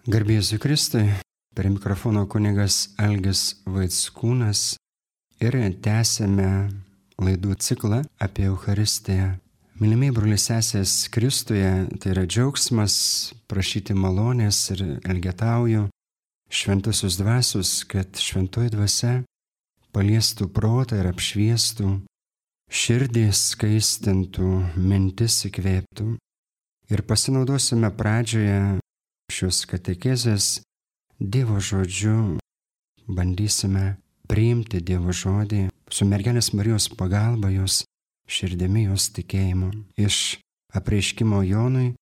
Garbė Jėzui Kristui, per mikrofono kunigas Algis Vaickūnas ir tęsėme laidų ciklą apie Eucharistiją. Mylimieji broliai sesės Kristuje, tai yra džiaugsmas prašyti malonės ir elgetauju šventusius dvasius, kad šventoji dvasia paliestų protą ir apšviestų, širdį skaistintų, mintis įkvėptų. Ir pasinaudosime pradžioje šios katekezės Dievo žodžiu, bandysime priimti Dievo žodį su mergelės Marijos pagalba, jos širdimi, jos tikėjimu. Iš apreiškimo Jonui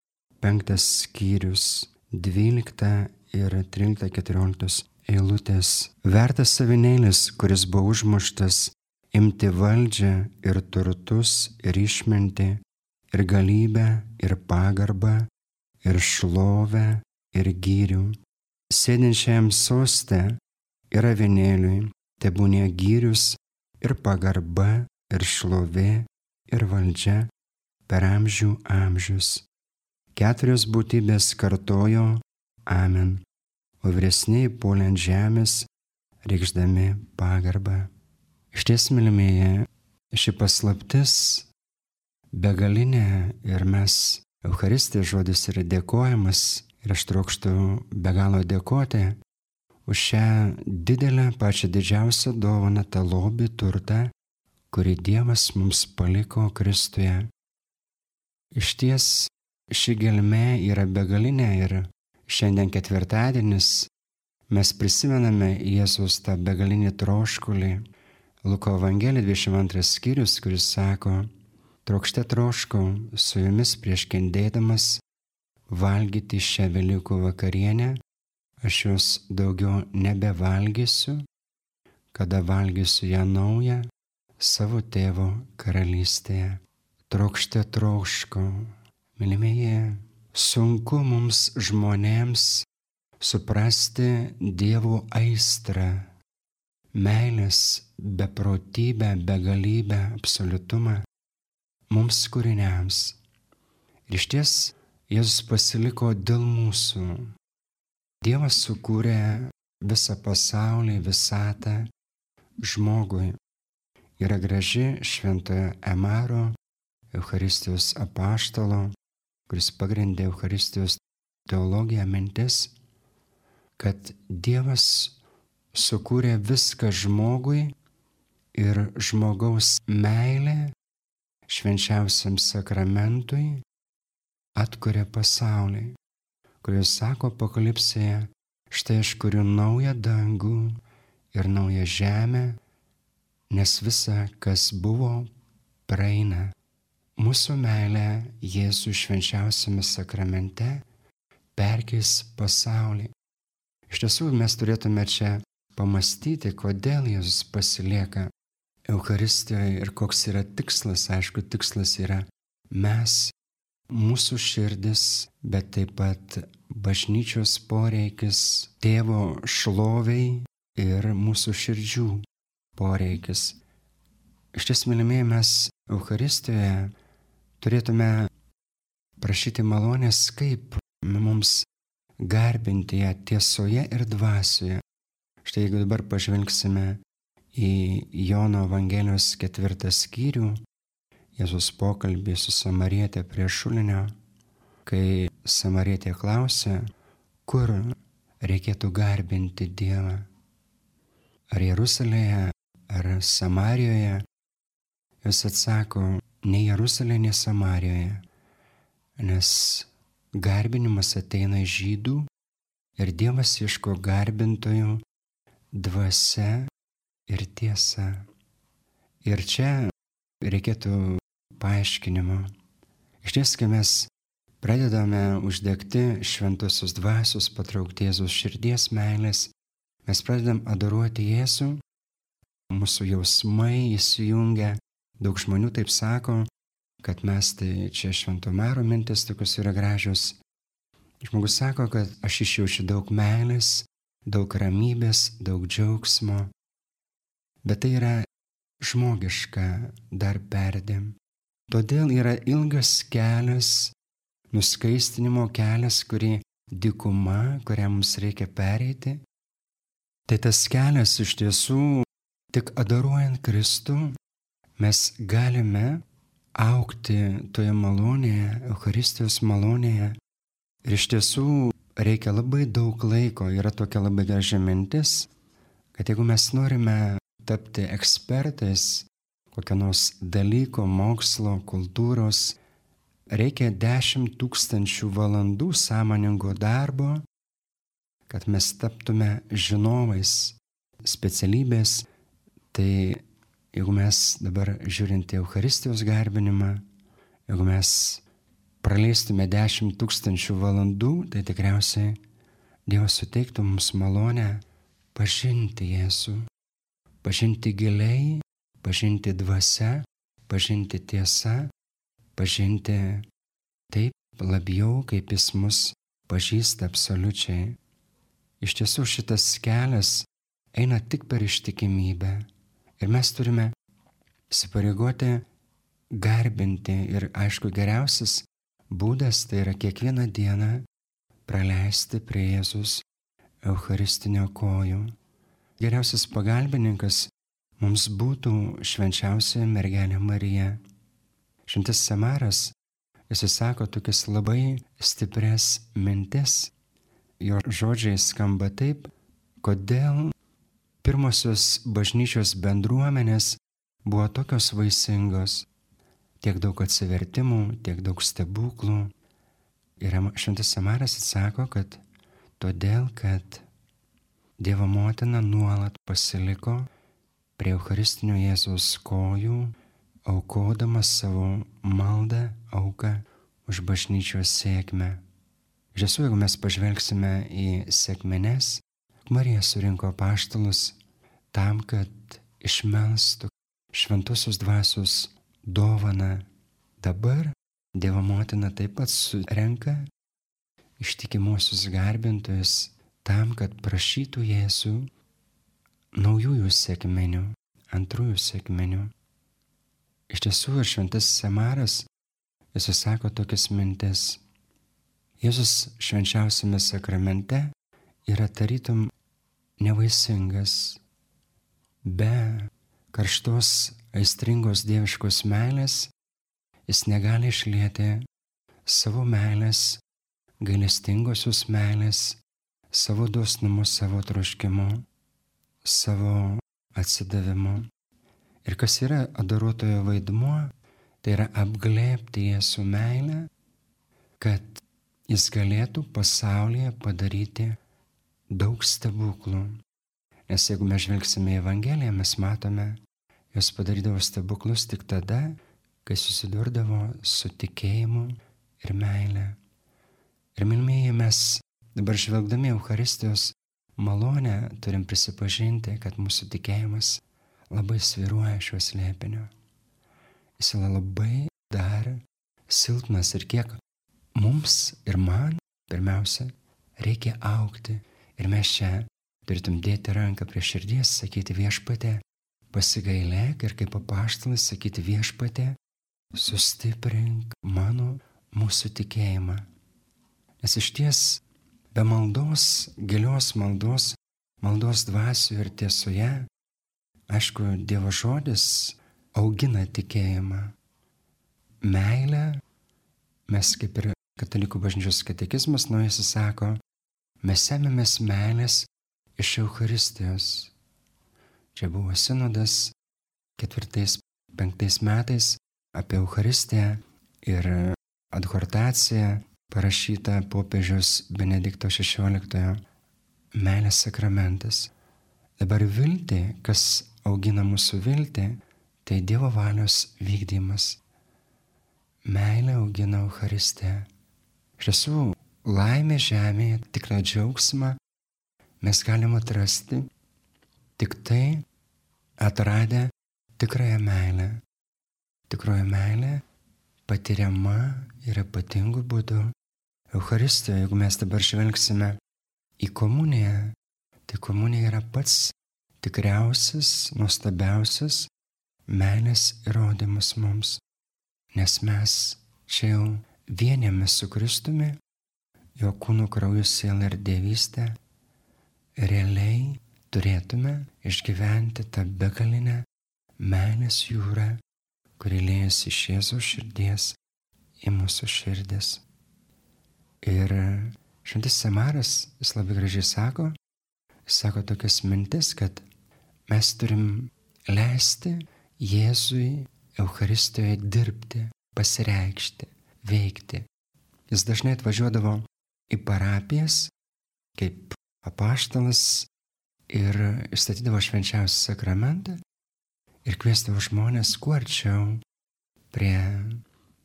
5 skyrius 12 ir 13-14 eilutės. Vertas avinėlis, kuris buvo užmuštas, imti valdžią ir turtus ir išmintį ir galybę ir pagarbą ir šlovę ir gyrių. Sėdinčiajam soste ir avinėliui tebūnie gyrius ir pagarba ir šlovė ir valdžia per amžių amžius. 4 būtybės kartojo Amen, o vyresnieji puolė ant žemės, reikšdami pagarbą. Išties, mylimieji, ši paslaptis begalinė ir mes, Eucharistijos žodis yra dėkojimas ir aš trokštu be galo dėkoti už šią didelę, pačią didžiausią dovaną, tą lobį, turtą, kurį Dievas mums paliko Kristuje. Išties ši gelmė yra begalinė ir šiandien ketvirtadienis mes prisimename Jėzus tą begalinį troškulį. Luko Evangelija 22 skyrius, kuris sako: trokšte troškau su jumis prieš kentėdamas valgyti šią Velykų vakarienę, aš jos daugiau nebevalgysiu, kada valgysiu ją naują savo tėvo karalystėje. Trokšte troškau. Mylimieji, sunku mums žmonėms suprasti Dievo aistrą, meilės beprotybę, begalybę, absoliutumą mums kūriniams. Ir išties Jėzus pasiliko dėl mūsų. Dievas sukūrė visą pasaulį, visatą žmogui. Yra graži šventojo Emaro, Eucharistijos apaštalo, kuris pagrindė Eucharistijos teologiją, mintis, kad Dievas sukūrė viską žmogui ir žmogaus meilė švenčiausiam sakramentui atkuria pasaulį, kuris sako Apokalipsėje: štai aš kuriu naują dangų ir naują žemę, nes visa, kas buvo, praeina. Mūsų meilė Jėzų švenčiausiame sakramente perkeis pasaulį. Iš tiesų mes turėtume čia pamastyti, kodėl Jėzus pasilieka Eucharistijoje ir koks yra tikslas. Aišku, tikslas yra mes, mūsų širdis, bet taip pat bažnyčios poreikis, tėvo šloviai ir mūsų širdžių poreikis. Iš ties, mylimieji, mes Eucharistijoje turėtume prašyti malonės, kaip mums garbinti ją tiesoje ir dvasioje. Štai jeigu dabar pažvelgsime į Jono Evangelijos 4 skyrių, Jėzus pokalbį su samarietė prie šulinio, kai samarietė klausia, kur reikėtų garbinti Dievą. Ar Jeruzalėje, ar Samarijoje? Jis atsako: nei Jeruzalėje, nei Samarijoje, nes garbinimas ateina iš žydų ir Dievas ieško garbintojų dvasia ir tiesa. Ir čia reikėtų paaiškinimo. Išties, kai mes pradedame uždegti šventosios dvasios, patraukti Jėzaus širdies meilės, mes pradedam adoruoti Jėzų, mūsų jausmai įsijungia. Daug žmonių taip sako, kad mes, tai čia Švento Maro mintis tokios yra gražios. Žmogus sako, kad aš išjaučiu daug meilės, daug ramybės, daug džiaugsmo, bet tai yra žmogiška dar perdėm. Todėl yra ilgas kelias, nuskaistinimo kelias, kurį dykuma, kurią mums reikia pereiti. Tai tas kelias iš tiesų, tik adoruojant Kristų, mes galime augti toje malonėje, Eucharistijos malonėje. Ir iš tiesų reikia labai daug laiko. Yra tokia labai graži mintis, kad jeigu mes norime tapti ekspertais kokio nors dalyko, mokslo, kultūros, reikia 10 000 valandų sąmoningo darbo, kad mes taptume žinovais specialybės. Tai jeigu mes dabar žiūrint į Eucharistijos garbinimą, jeigu mes praleistume 10 000 valandų, tai tikriausiai Dievas suteiktų mums malonę pažinti Jėzų, pažinti giliai, pažinti dvasia, pažinti tiesa, pažinti taip labiau, kaip Jis mus pažįsta absoliučiai. Iš tiesų šitas kelias eina tik per ištikimybę ir mes turime įsipareigoti garbinti ir aišku geriausias būdas tai yra kiekvieną dieną praleisti prie Jėzus Eucharistinio kojų. Geriausias pagalbininkas mums būtų švenčiausia mergelė Marija. Šventas Samaras, jis sako tokias labai stiprias mintis. Jo žodžiai skamba taip, kodėl pirmosios bažnyčios bendruomenės buvo tokios vaisingos, tiek daug atsivertimų, tiek daug stebuklų. Ir Šventas Samaras atsako, kad todėl, kad Dievo motina nuolat pasiliko prie Eucharistinio Jėzaus kojų, aukodama savo maldą, auką už bažnyčios sėkmę. Iš tiesų, jeigu mes pažvelgsime į sekmines, Marija surinko apaštalus tam, kad išmelstų šventosios dvasios dovaną. Dabar Dievo motina taip pat surenka ištikimuosius garbintojus tam, kad prašytų Jėzų naujųjų sekminių, antrųjų sekminių. Iš tiesų ir Šventas Samaras, jis sako tokias mintis. Jėzus švenčiausiame sakramente yra tarytum nevaisingas. Be karštos, aistringos dieviškos meilės jis negali išlieti savo meilės, gailestingosios meilės, savo dosnumu, savo troškimu, savo atsidavimu. Ir kas yra adoruotojo vaidmuo, tai yra apglėbti Jėzų meilę, kad jis galėtų pasaulyje padaryti daug stebuklų. Nes jeigu mes žvelgsime į Evangeliją, mes matome, jos padarydavo stebuklus tik tada, kai susidurdavo su tikėjimu ir meile. Ir mylmieji, mes dabar žvelgdami Eucharistijos malonę turim prisipažinti, kad mūsų tikėjimas labai svyruoja šiuo slėpiniu. Jis yra labai dar silpnas ir kiek mums ir man pirmiausia reikia augti. Ir mes čia turėtum dėti ranką prie širdies, sakyti Viešpatie, pasigailėk ir kaip apaštalas sakyti Viešpatie, sustiprink mūsų tikėjimą. Nes išties be maldos, gilios maldos, maldos dvasioje ir tiesoje, aišku, Dievo žodis augina tikėjimą. Meilę, mes kaip ir Katalikų bažnyčios katekizmas naujasis sako, mes semiamės meilės iš Eucharistijos. Čia buvo sinodas 4-5 metais apie Eucharistiją ir adhortacija parašyta popiežiaus Benedikto XVI meilės sakramentas. Dabar viltį, kas augina mūsų viltį, tai Dievo valios vykdymas. Meilė augina Eucharistiją. Iš tiesų, laimė žemėje, tikrą džiaugsmą mes galime atrasti tik tai atradę tikrąją meilę. Tikroji meilė patiriama ir ypatingu būdu Eucharistijoje. Jeigu mes dabar žvelgsime į komuniją, tai komunija yra pats tikriausias, nuostabiausias meilės įrodymas mums. Nes mes čia jau vienėmės su Kristumi jo kūnu, krauju, siela ir dievystė, realiai turėtume išgyventi tą begalinę meilės jūrą, kuri liejasi iš Jėzaus širdies į mūsų širdis. Ir šventasis Amaras, jis labai gražiai sako tokias mintis, kad mes turim leisti Jėzui Eucharistijoje dirbti, pasireikšti, veikti. Jis dažnai atvažiuodavo į parapijas kaip apaštalas ir statydavo švenčiausią sakramentą ir kviesdavo žmonės kuo arčiau prie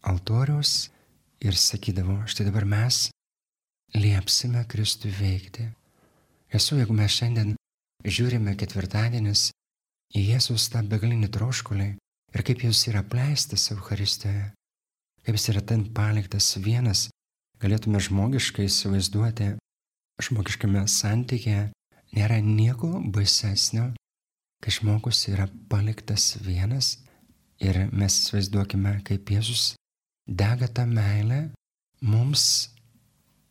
altoriaus ir sakydavo, štai dabar mes liepsime Kristui veikti. Jeigu mes šiandien žiūrime ketvirtadienis į Jėzus tą begalinį troškulį ir kaip jis yra apleistas Eucharistijoje, kaip jis yra ten paliktas vienas, galėtume žmogiškai įsivaizduoti, žmogiškame santykėje nėra nieko baisesnio, kai žmogus yra paliktas vienas ir mes įsivaizduokime, kaip Jėzus dega tą meilę mums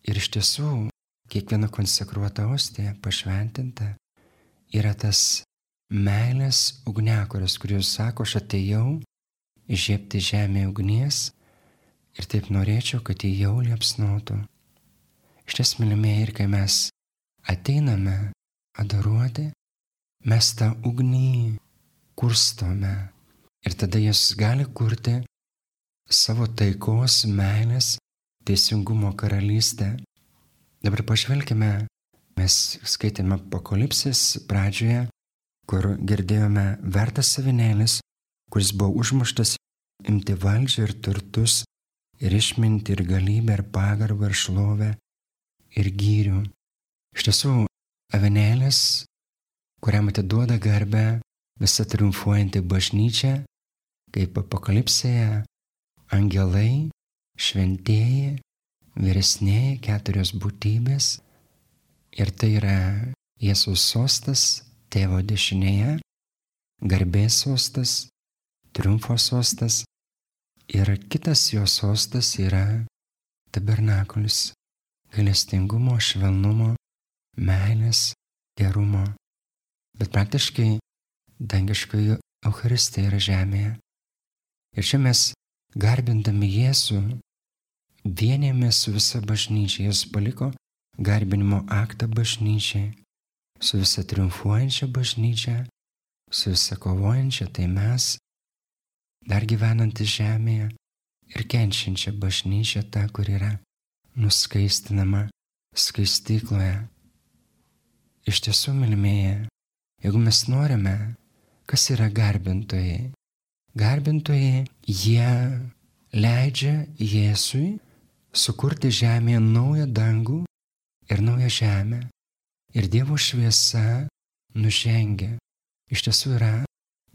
ir iš tiesų kiekviena konsekruota ostija pašventinta yra tas meilės ugniakuras, kuris sako, aš atėjau įžiebti žemėje ugnies ir taip norėčiau, kad jį jau liepsnotų. Iš ties, mylimieji, ir kai mes ateiname adoruoti, mes tą ugnį kurstome ir tada jis gali kurti savo taikos, meilės, teisingumo karalystę. Dabar pažvelkime, mes skaitėme Apokalipsės pradžioje, kur girdėjome vertas avinėlis, kuris buvo užmuštas imti valdžią ir turtus, ir išmintį, ir galybę, ir pagarbą, ir šlovę, ir gyrių. Iš tiesų, avinėlis, kuriam atiduoda garbę visa triumfuojanti bažnyčia, kaip Apokalipsėje, angelai, šventieji, vyresnieji, 4 būtybės, ir tai yra Jėzaus sostas, Tėvo dešinėje, garbės sostas, triumfo sostas, ir kitas jo sostas yra tabernakulis, gailestingumo, švelnumo, meilės, gerumo. Bet praktiškai dangiškoji Eucharistija yra žemėje. Ir čia mes, garbindami Jėzų, vienėmės su visa bažnyčia. Jis paliko garbinimo aktą bažnyčiai, su visa triumfuojančia bažnyčia, su visa kovojančia, tai mes, dar gyvenantys žemėje ir kenčiančia bažnyčia, ta, kur yra nuskaistinama skaistykloje. Iš tiesų, mylimieji, jeigu mes norime, kas yra garbintojai? Garbintojai, jie leidžia Jėzui sukurti žemėje naują dangų ir naują žemę. Ir Dievo šviesa nužengia. Iš tiesų yra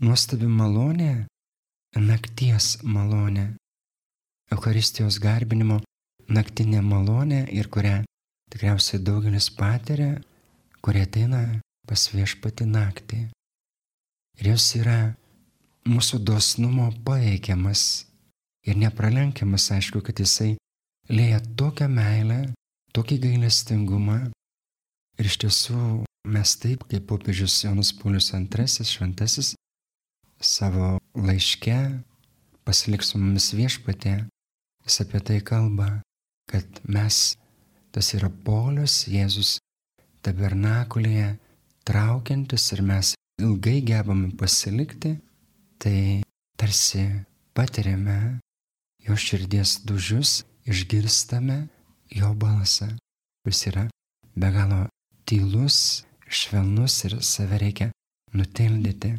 nuostabi malonė, nakties malonė. Eucharistijos garbinimo naktinė malonė, ir kurią tikriausiai daugelis patiria, kurie ateina pas Viešpatį naktį. Ir jos yra mūsų dosnumo paveikiamas ir nepralenkiamas, aišku, kad jisai lieja tokią meilę, tokį gailestingumą. Ir iš tiesų mes taip, kaip popiežius Jonas Paulius II, šventasis, savo laiške Pasilik su mumis Viešpatie, jis apie tai kalba, kad mes, tas yra polius, Jėzus tabernakulėje traukiantis ir mes ilgai gebame pasilikti, tai tarsi patiriame jo širdies dūžius, išgirstame jo balsą, kuris yra be galo tylus, švelnus ir save reikia nutildyti.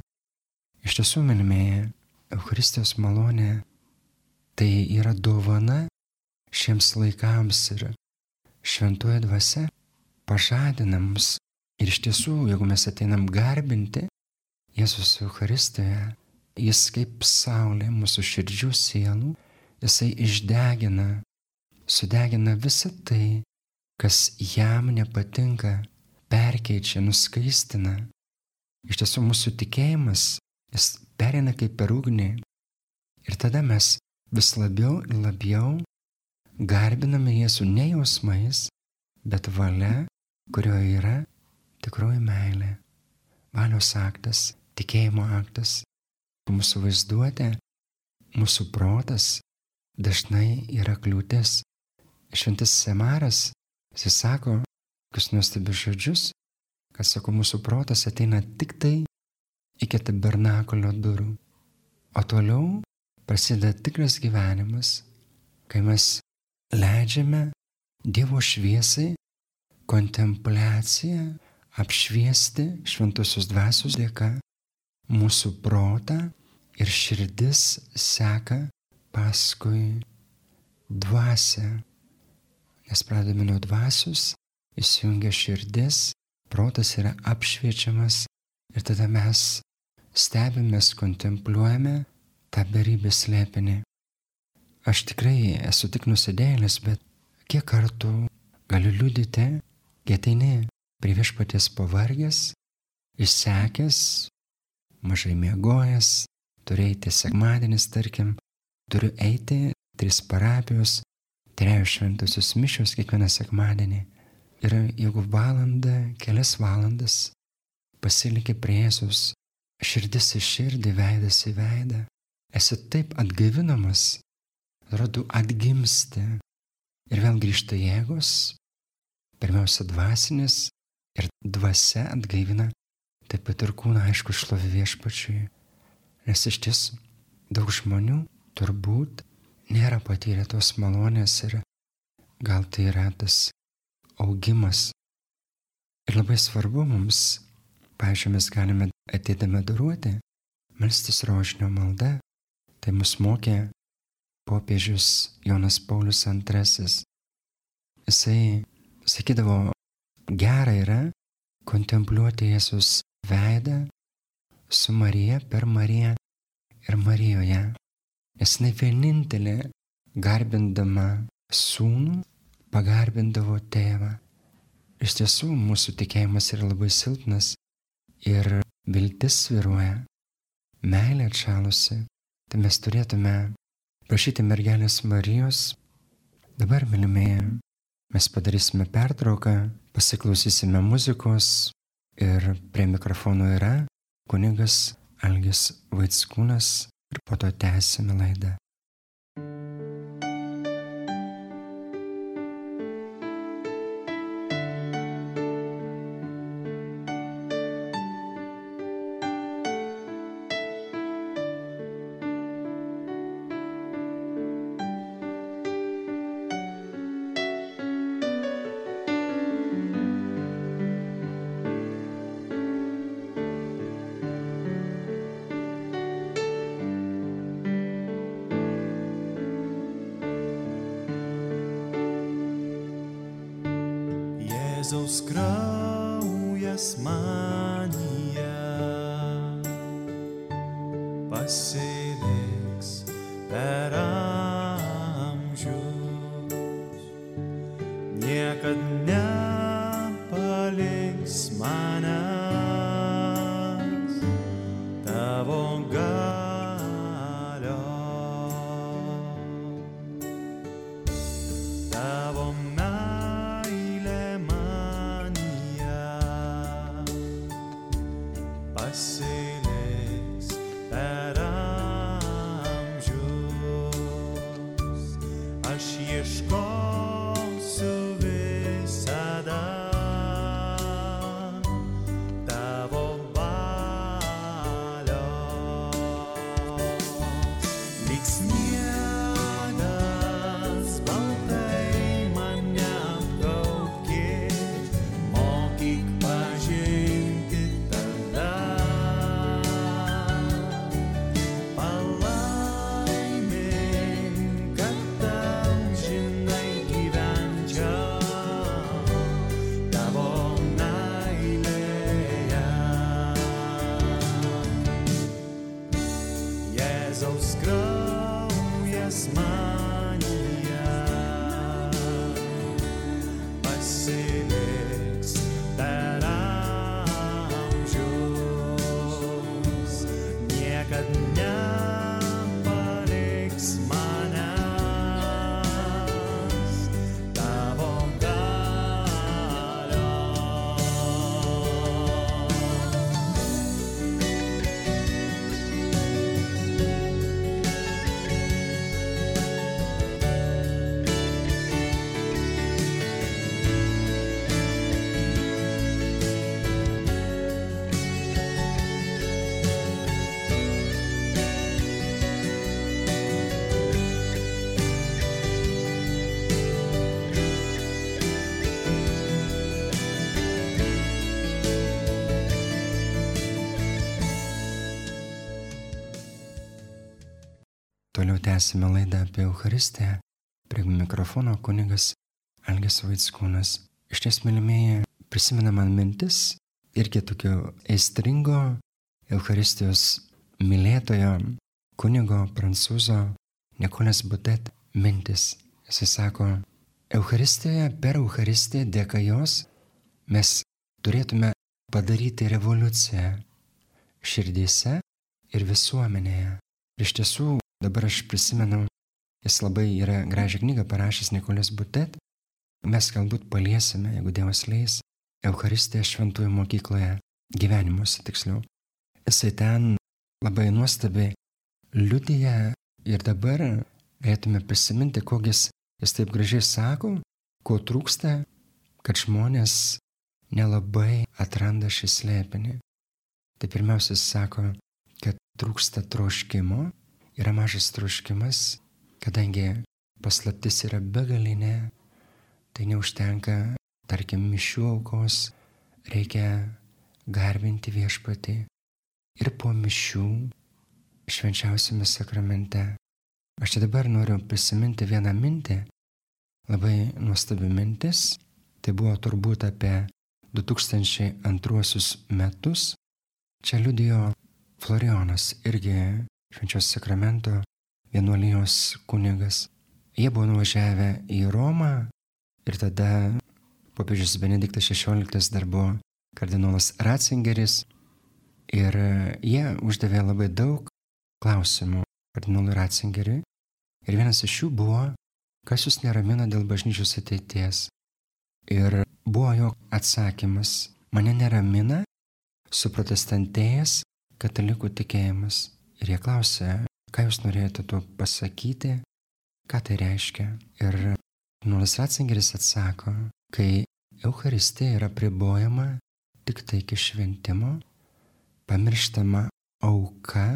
Iš tiesų, mylimieji, Eucharistijos malonė tai yra dovana šiems laikams ir šventoji dvasia pažadina mus. Ir iš tiesų, jeigu mes ateinam garbinti Jėzus Eucharistijoje, jis kaip saulė mūsų širdžių sielų, jisai išdegina, sudegina visą tai, kas jam nepatinka, perkeičia, nuskaistina. Iš tiesų, mūsų tikėjimas, jis pereina kaip per ugnį. Ir tada mes vis labiau ir labiau garbiname Jėzų ne jausmais, bet valia, kurioje yra tikroji meilė, valios aktas, tikėjimo aktas. Mūsų vaizduotė, mūsų protas dažnai yra kliūtis. Šventasis Emaras, jis sako, kokius nuostabius žodžius, kad sako, mūsų protas ateina tik tai iki tabernakulio durų. O toliau prasideda tikras gyvenimas, kai mes leidžiame Dievo šviesai, kontempliaciją apšviesti šventosios dvasios dėka mūsų protą ir širdis seka paskui dvasią. Nes pradedame nuo dvasios, įsijungia širdis, protas yra apšviečiamas ir tada mes stebimės, kontempliuojame tą beribės slėpinį. Aš tikrai esu tik nusidėjėlis, bet kiek kartų galiu liudyti, kai ateini prie viešpaties pavargęs, išsekęs, mažai miegojęs, turiu eiti sekmadienis, tarkim, turiu eiti 3 parapijos, 3 šventosios mišios kiekvieną sekmadienį. Ir jeigu valandą, kelias valandas pasiliki prie Jėzus, širdis į širdį, veidas į veidą, esi taip atgaivinamas, atrodo atgimsti ir vėl grįžta jėgos, pirmiausia dvasinis ir dvasia atgaivina, taip pat ir kūną, aišku, šlovė Viešpačiui. Nes iš tiesų daug žmonių turbūt nėra patyrę tos malonės ir gal tai yra tas augimas. Ir labai svarbu mums, pavyzdžiui, mes galime ateidami adoruoti, melstis rožinio malda. Tai mus mokė popiežius Jonas Paulius II. Jisai sakydavo, gera yra kontempliuoti Jėzus veidą su Marija, per Mariją ir Marijoje. Nes jinai vienintelė, garbindama sūnų, pagarbindavo tėvą. Iš tiesų, mūsų tikėjimas yra labai silpnas ir viltis svyruoja, meilė atšalusi. Tai mes turėtume prašyti mergelės Marijos. Dabar, mylimieji, mes padarysime pertrauką, pasiklausysime muzikos ir prie mikrofono yra kunigas Algis Vaickūnas ir po to tęsime laidą. Jėzaus kraujas manyje pasiliks per amžius, niekad nepaliks manęs tavo galio, tavo pasiliks per amžius. Aš ieškosiu visada Tęsime laidą apie Eucharistiją. Prie mikrofono kunigas Algis Vaickūnas. Iš ties, mylimieji, prisimena man mintis irgi tokio aistringo Eucharistijos mylėtojo kunigo prancūzo Nicolas Butet mintis. Jisai sako, Eucharistijoje, per Eucharistiją dėka jos mes turėtume padaryti revoliuciją širdyse ir visuomenėje. Iš tiesų, dabar aš prisimenu, jis labai yra gražią knygą parašęs Nicolas Butet. Mes galbūt paliesime, jeigu Dievas leis, Eucharistiją šventųjų mokykloje, gyvenimuose tiksliau. Jisai ten labai nuostabiai liudija ir dabar galėtume prisiminti, kokias jis taip gražiai sako, ko trūksta, kad žmonės nelabai atranda šį slėpinį. Tai pirmiausia, jis sako, kad trūksta troškimo, yra mažas troškimas, kadangi paslaptis yra begalinė, tai neužtenka, tarkim, mišių aukos, reikia garbinti Viešpatį ir po mišių švenčiausiame sakramente. Aš čia dabar noriu prisiminti vieną mintį, labai nuostabi mintis, tai buvo turbūt apie 2002 metus. Čia liudijo Florijonas, irgi švenčiaus sakramento vienuolijos kunigas. Jie buvo nuvažiavę į Romą ir tada popiežius Benediktas XVI dar buvo kardinolas Ratzingeris ir jie uždavė labai daug klausimų kardinolui Ratzingeriui ir vienas iš jų buvo, kas jūs neramina dėl bažnyčios ateities. Ir buvo jo atsakymas, mane neramina suprotestantėjęs katalikų tikėjimas. Ir jie klausė, ką jūs norėjote tuo pasakyti, ką tai reiškia. Ir kardinolas Ratzingeris atsako, kai Eucharistija yra apribojama tik tai iki šventimo, pamirštama auka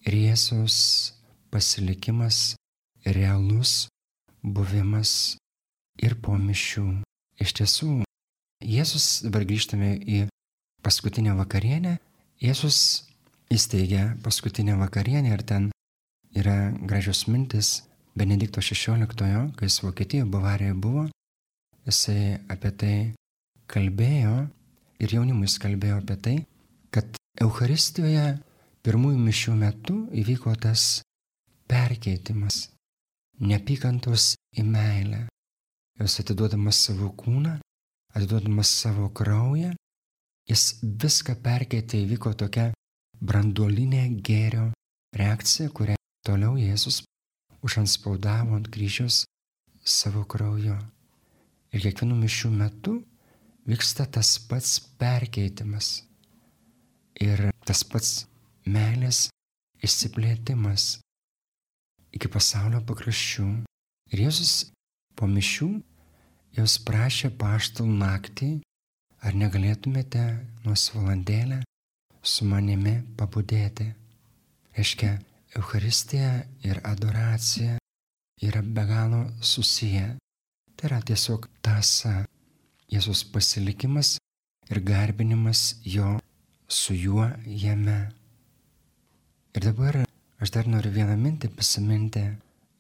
ir Jėzaus pasilikimas, realus buvimas ir po mišių. Iš tiesų, Jėzus, dabar grįžtame į paskutinę vakarienę, Jėzus įsteigė paskutinę vakarienę ir ten yra gražios mintis Benedikto XVI, kai jis Vokietijoje, Bavarijoje buvo, jisai apie tai kalbėjo ir jaunimui jis kalbėjo apie tai, kad Eucharistijoje pirmųjų mišių metu įvyko tas perkeitimas, neapykantos į meilę. Jis atiduodamas savo kūną, atiduodamas savo kraują, jis viską perkeitė, įvyko tokia branduolinė gėrio reakcija, kurią toliau Jėzus užanspaudavo ant kryžiaus savo krauju. Ir kiekvienų mišių metu vyksta tas pats perkeitimas ir tas pats meilės išsiplėtimas iki pasaulio pakraščių. Ir Jėzus po mišių jos prašė apaštalų naktį, ar negalėtumėte nors valandėlę su manimi pabudėti. Reiškia, Eucharistija ir adoracija yra be galo susiję. Tai yra tiesiog tąsa, Jėzus pasilikimas ir garbinimas jo su juo jame. Ir dabar aš dar noriu vieną mintį prisiminti.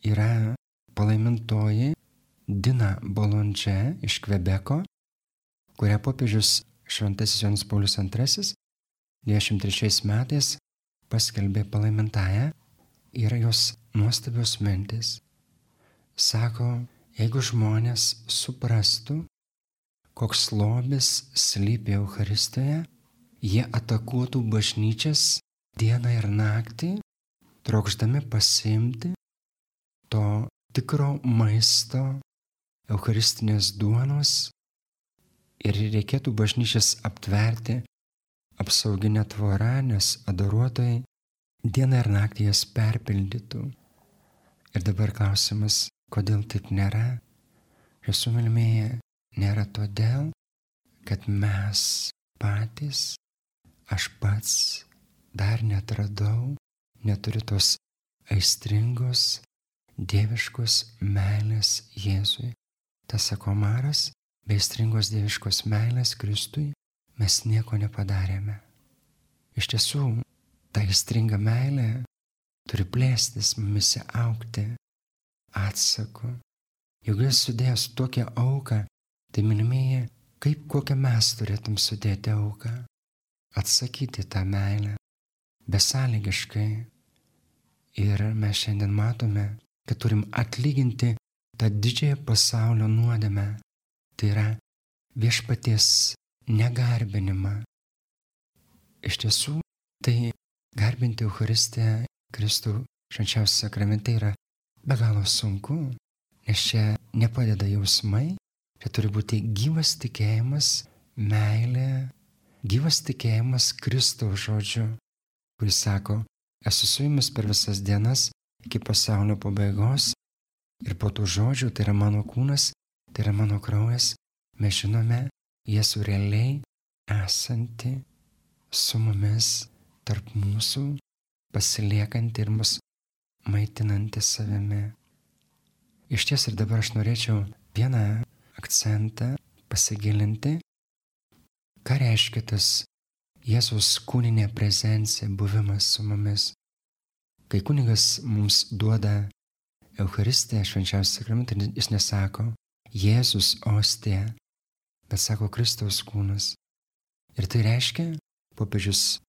Yra palaimintoji Dina Bolondžė iš Kvebeko, kurią popiežius šventasis Jonas Paulius II 23 metais paskelbė palaimintąją. Yra jos nuostabios mintis. Sako, jeigu žmonės suprastų, koks lobis slypi Eucharistijoje, jie atakuotų bažnyčias dieną ir naktį, trokšdami pasiimti to tikro maisto, eucharistinės duonos, ir reikėtų bažnyčias aptverti apsauginę tvorą, nes adoruotojai dieną ir naktį jas perpildytų. Ir dabar klausimas, kodėl taip nėra? Jūsų mylimieji, nėra todėl, kad mes patys, aš pats dar netradau, neturiu tos aistringos, dieviškos meilės Jėzui. Tas sako Maras, be aistringos dieviškos meilės Kristui mes nieko nepadarėme. Iš tiesų, ta aistringa meilė turi plėstis, mumise augti atsaku. Jeigu jis sudėjęs tokią auką, tai mylimieji, kaip kokią mes turėtum sudėti auką, atsakyti tą meilę, besąlygiškai. Ir mes šiandien matome, kad turim atlyginti tą didžiąją pasaulio nuodėmę, tai yra viešpaties negarbinimą. Iš tiesų, tai garbinti Eucharistiją Kristų švenčiausiame sakramente yra be galo sunku, nes čia nepadeda jausmai, čia turi būti gyvas tikėjimas, meilė, gyvas tikėjimas Kristaus žodžiu, kuris sako, esu su jumis per visas dienas iki pasaulio pabaigos ir po tų žodžių, tai yra mano kūnas, tai yra mano kraujas, mes žinome Jėzų realiai esanti su mumis tarp mūsų, pasiliekanti ir mus maitinanti savimi. Iš ties ir dabar aš norėčiau vieną akcentą pasigilinti, ką reiškia tas Jėzaus kūninė prezencija, buvimas su mumis. Kai kunigas mums duoda Eucharistiją, švenčiausią sakramentą, jis nesako Jėzus ostija, bet sako Kristaus kūnas. Ir tai reiškia, popiežius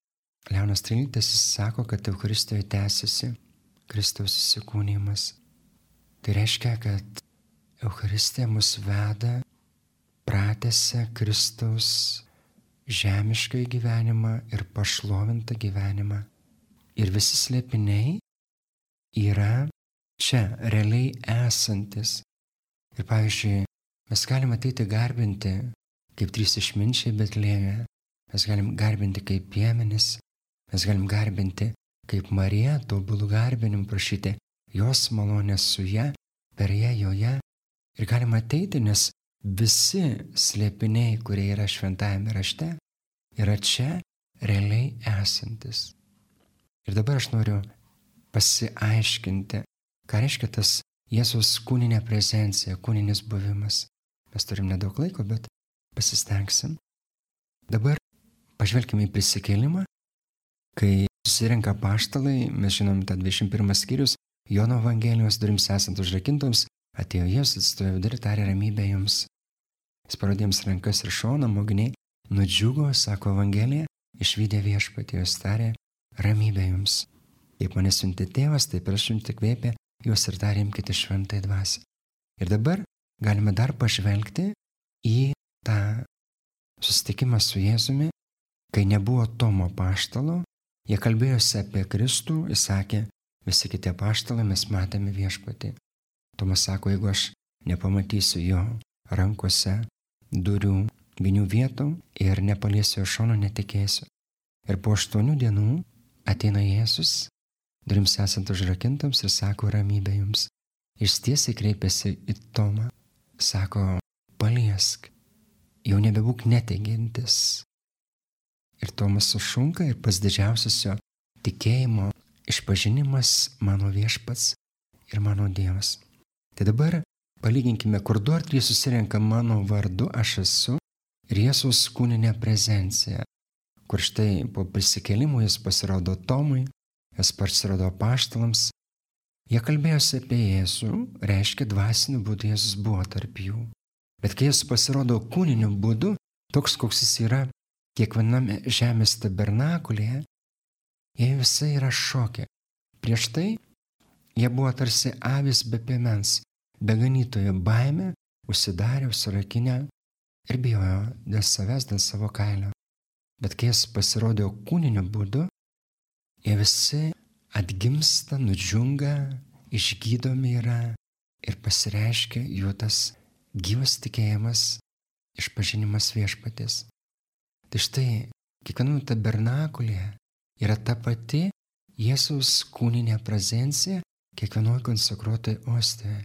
Leonas XIII sako, kad Eucharistijoje tęsiasi Kristaus įsikūnijimas. Tai reiškia, kad Eucharistija mus veda, pratęsia Kristaus žemišką gyvenimą ir pašlovintą gyvenimą. Ir visi slėpiniai yra čia, realiai esantis. Ir pavyzdžiui, mes galime ateiti garbinti kaip 3 išminčiai Betlėjuje, mes galim garbinti kaip piemenys, mes galim garbinti kaip Marija, tobulų garbinimų prašyti jos malonės su ja, per ją, joje. Ir galima ateiti, nes visi slėpiniai, kurie yra šventajame rašte, yra čia realiai esantis. Ir dabar aš noriu pasiaiškinti, ką reiškia tas Jėzaus kūninė prezencija, kūninis buvimas. Mes turim nedaug laiko, bet pasistengsim. Dabar pažvelkime į prisikėlimą, kai susirenka apaštalai, mes žinom tą 21 skyrius, Jono Evangelijos durims esant užrakintoms, atėjo Jėzus, atsistojo vidurį, tarė ramybę jums. Jis parodė jiems rankas ir šoną, mokiniai nudžiugo, sako Evangelija, išvydę viešpatį, jis tarė ramybę jums. Kaip mane siuntė tėvas, taip ir aš jums įkvėpė juos ir tarė imkite šventąją dvasią. Ir dabar galime dar pažvelgti į tą susitikimą su Jėzumi, kai nebuvo Tomo apaštalo, jie kalbėjosi apie Kristų, jis sakė, visi kiti apaštalai mes matėme viešpatį. Tomas sako, jeigu aš nepamatysiu jo rankose durių vinių vietų ir nepaliesiu jo šono, netikėsiu. Ir po 8 dienų ateina Jėzus, durims esant užrakintams ir sako ramybę jums. Jis tiesiai kreipėsi į Tomą, sako, paliesk, jau nebebūk neteigiantis. Ir Tomas sušunka ir pats didžiausias jo tikėjimo išpažinimas mano viešpats ir mano Dievas. Tai dabar palyginkime, kur 2 ar 3 susirenka mano vardu, aš esu ir Jėzaus kūninė prezencija, kur štai po prisikėlimo jis pasirodo Tomui, jis pasirodo apaštalams. Jie kalbėjosi apie Jėzų, reiškia dvasiniu būdu Jėzus buvo tarp jų. Bet kai jis pasirodo kūniniu būdu, toks koks jis yra kiekviename žemės tabernakulėje, jie visi yra šoke. Prieš tai jie buvo tarsi avys be piemens, be ganytojo, baimė, užsidarė, užsirakinę ir bijojo dėl savęs, dėl savo kailio. Bet kai jis pasirodė kūniniu būdu, jie visi atgimsta, nudžiunga, išgydomi yra ir pasireiškia jų tas gyvas tikėjimas, išpažinimas viešpaties. Tai štai, kiekviename tabernakulėje yra ta pati Jėzaus kūninė prezencija kiekvienoje konsekruotoje ostijoje.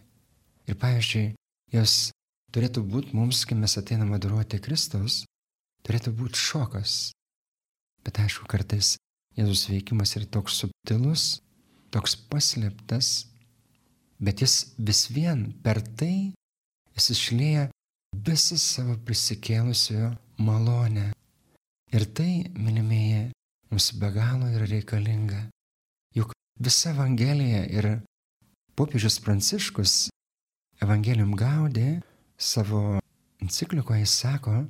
Ir pavyzdžiui, jos turėtų būti mums, kai mes ateiname adoruoti Kristaus, turėtų būti šokas. Bet aišku, kartais Jėzus veikimas yra toks subtilus, toks paslėptas, bet jis vis vien per tai jis išlieja visą savo prisikėlusiojo malonę. Ir tai, mylimieji, mums be galo yra reikalinga. Juk visa Evangelija ir popiežius Pranciškus Evangelium Gaudė savo enciklikoje sako,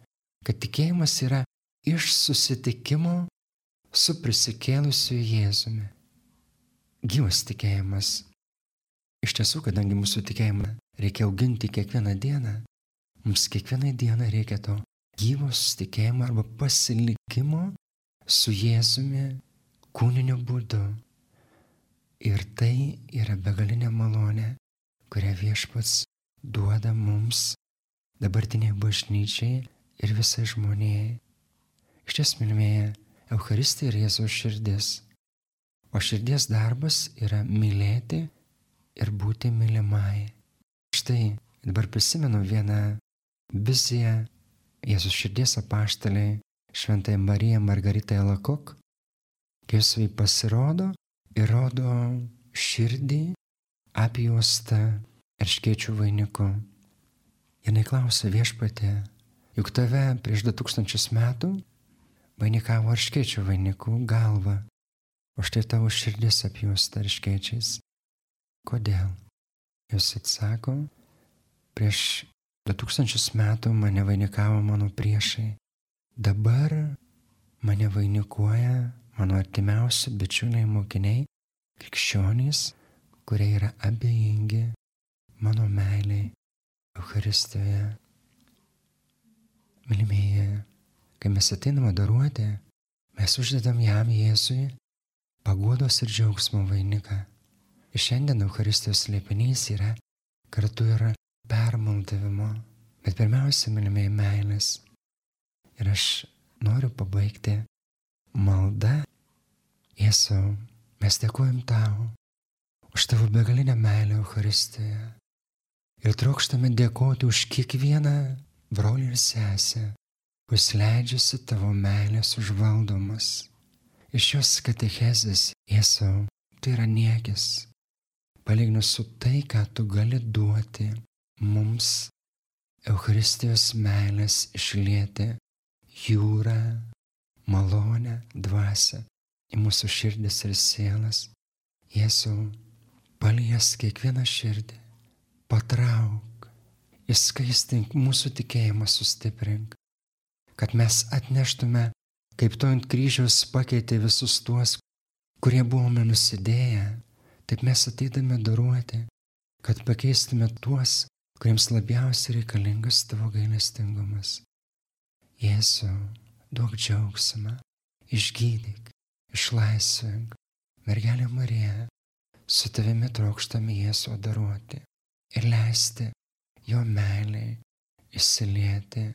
kad tikėjimas yra iš susitikimo su prisikėlusiu Jėzumi. Gyvas tikėjimas. Iš tiesų, kadangi mūsų tikėjimą reikia auginti kiekvieną dieną, mums kiekvieną dieną reikia to gyvo susitikėjimo arba pasilikimo su Jėzumi kūniniu būdu. Ir tai yra begalinė malonė, kurią Viešpats duoda mums, dabartiniai bažnyčiai ir visai žmonijai. Iš ties, mylimieji, Eucharistija yra Jėzaus širdis, o širdies darbas yra mylėti ir būti mylimai. Štai dabar prisimenu vieną viziją Jėzus širdies apaštalei Šventai Marija Margarita Elakok, kai jis pasirodo ir rodo širdį apjuostą erškėčių vainiku. Jinai klausia: Viešpatie, juk tave prieš 2000 metų vainikavo erškėčių vainikų galva, o štai tavo širdis apjuosta erškėčiais. Kodėl? Jis atsako: prieš 2000 metų mane vainikavo mano priešai, dabar mane vainikuoja mano artimiausi bičiuliai mokiniai, krikščionys, kurie yra abejingi mano meiliai Eucharistijoje. Mylimieji, kai mes ateiname adoruoti, mes uždedam jam, Jėzui, paguodos ir džiaugsmo vainiką. Ir šiandien Eucharistijos slėpinys yra kartu ir permaldavimo, bet pirmiausia, mylimieji, meilės. Ir aš noriu pabaigti maldą. Jėzau, mes dėkojam tau už tavo begalinę meilę Eucharistijoje. Ir trokštame dėkoti už kiekvieną brolį ir sesę, kuris leidžiasi tavo meilės užvaldomas. Iš šios katechezės, Jėzau, tai yra niekis, palyginus su tai, ką tu gali duoti mums Eucharistijos meilės išlieti jūrą, malonę, dvasią į mūsų širdis ir sielas. Jėzau, paliesk kiekvieną širdį, patrauk, įskaistink mūsų tikėjimą, sustiprink, kad mes atneštume, kaip tu ant kryžiaus pakeitė visus tuos, kurie buvome nusidėję, taip mes ateidame adoruoti, kad pakeistume tuos, kuriems labiausiai reikalingas tavo gailestingumas. Jėzau, duok džiaugsmą, išgydyk, išlaisvink. Mergelė Marija, su tavimi trokštame Jėzų adoruoti ir leisti jo meiliai įsilieti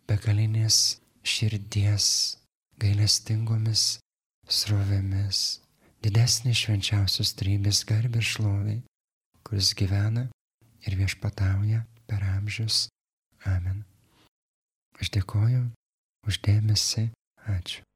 begalinės širdies gailestingomis srovėmis, didesnės švenčiausios trejybės garbė ir šlovė, kuris gyvena ir viešpatauja per amžius. Amen. Aš dėkoju už dėmesį. Ačiū.